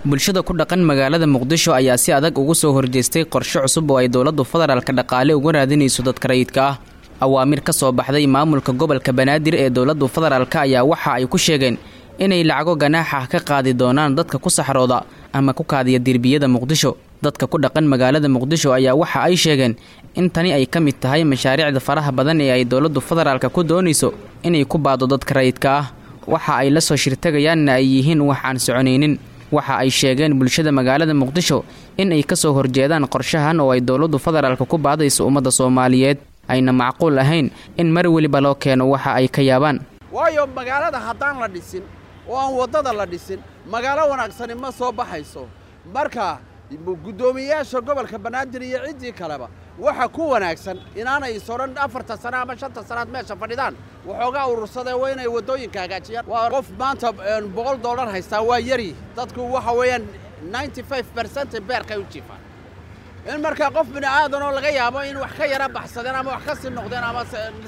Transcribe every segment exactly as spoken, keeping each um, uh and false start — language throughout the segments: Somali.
Bulshada ku dhaqan magaalada Muqdisho ayaa si adag ugu soo horjeestay qorshe cusub oo ay dowladdu federaalka dhaqaale uga raadinayso dadka rayidka ah. Awaamir ka soo baxday maamulka gobolka Banaadir ee dowladdu federaalka ayaa waxa ay ku sheegeen inay lacago ganaax ah ka qaadi doonaan dadka ku saxrooda ama ku kaadiya derbiyada Muqdisho. Dadka ku dhaqan magaalada Muqdisho ayaa waxa ay sheegeen in tani ay ka mid tahay mashaariicda faraha badan ee ay dowladdu federaalka ku doonayso inay ku baado dadka rayidka ah. Waxa ay la soo shirtagayaanna ay yihiin wax aan soconaynin. Waxa ay sheegeen bulshada magaalada Muqdisho in ay kasoo horjeedaan qorshahan oo ay dowladdu federaalka ku baadayso ummadda Soomaaliyeed, ayna macquul ahayn in mar weliba loo keeno waxa ay ka yaabaan. Waayo magaalada haddaan la dhisin oo aan waddada la dhisin, magaalo wanaagsani ma soo baxayso. Marka guddoomiyeyaasha gobolka Banaadir iyo ciddii kaleba waxa ku wanaagsan inaanay is odhan afarta sano ama shanta sanaad meesha fadhidaan waxoogaa urursadee, waa inay waddooyinka hagaajiyaan. Waa qof maanta boqol dollar haystaa waa yari. Dadku waxa weeyaan ninety five percent beerkay u jiifaan. In markaa qof bini aadan oo laga yaabo in wax ka yara baxsadeen ama wax ka sii noqdeen ama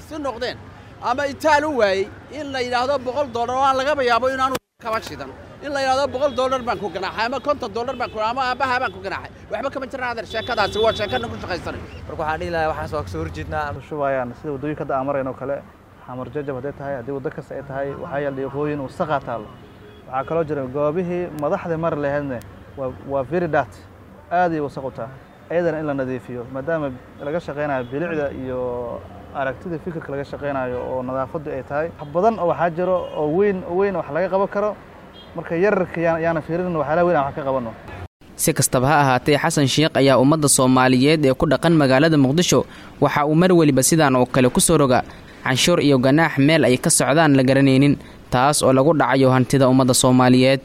si noqdeen ama itaal u waayey, in la yidhaahdo boqol dollar oo aan lagaba yaabo inaanu kaba shidan, in la yidhahdo boqol dollar baan ku ganaaxay ama konton dollar baan ku ama aabbaha baan ku ganaaxay, waxba kama jiraan adeer. Sheekadaasi waa sheekana ku shaqaysanay. Marka waxaan dhihi lahaa waxaas waa kasoo horjeednaa. Shubayaan sida waddooyinka hadda aan marayno oo kale, Xamar Jajab hadday tahay, haddii waddo kasta ay tahay, waxaa yaal dhiiqooyin, wasaqaa taallo. Waxaa kaloo jira goobihii madaxda mari lahaydne waa waa very dirty, aad ay wasaq u tahay. Ayadana in la nadiifiyo, maadaama laga shaqaynayo bilicda iyo aragtida fikirka laga shaqaynayo oo nadaafaddu ay tahay wax badan oo waxaa jiro oo weyn weyn wax laga qaban karo. Marka yararka yaana fiirin, waxyaalaha weyn aan wax ka qabano. Si kastaba ha ahaatee, Xasan Sheekh ayaa ummadda Soomaaliyeed ee ku dhaqan magaalada Muqdisho waxa uu mar weliba sidaan oo kale ku soo roga canshuur iyo ganaax meel ay ka socdaan la garanaynin, taas oo lagu dhacayo hantida ummadda Soomaaliyeed.